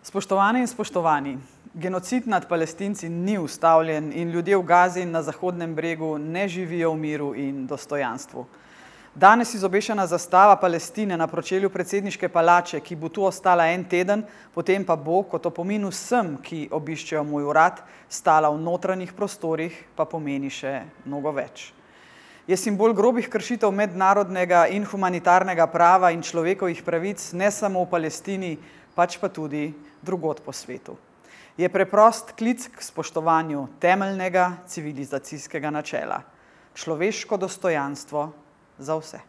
Spoštovane in spoštovani, genocid nad Palestinci ni ustavljen in ljudje v Gazi in na Zahodnem bregu ne živijo v miru in dostojanstvu. Danes izobešena zastava Palestine na pročelju predsedniške palače, ki bo tu ostala en teden, potem pa bo, kot opomin vsem, ki obiščejo moj urad, stala v notranjih prostorih, pa pomeni še mnogo več. Je simbol grobih kršitev mednarodnega in humanitarnega prava in človekovih pravic ne samo v Palestini, pač pa tudi drugod po svetu. Je preprost klic k spoštovanju temeljnega civilizacijskega načela. Človeško dostojanstvo za vse.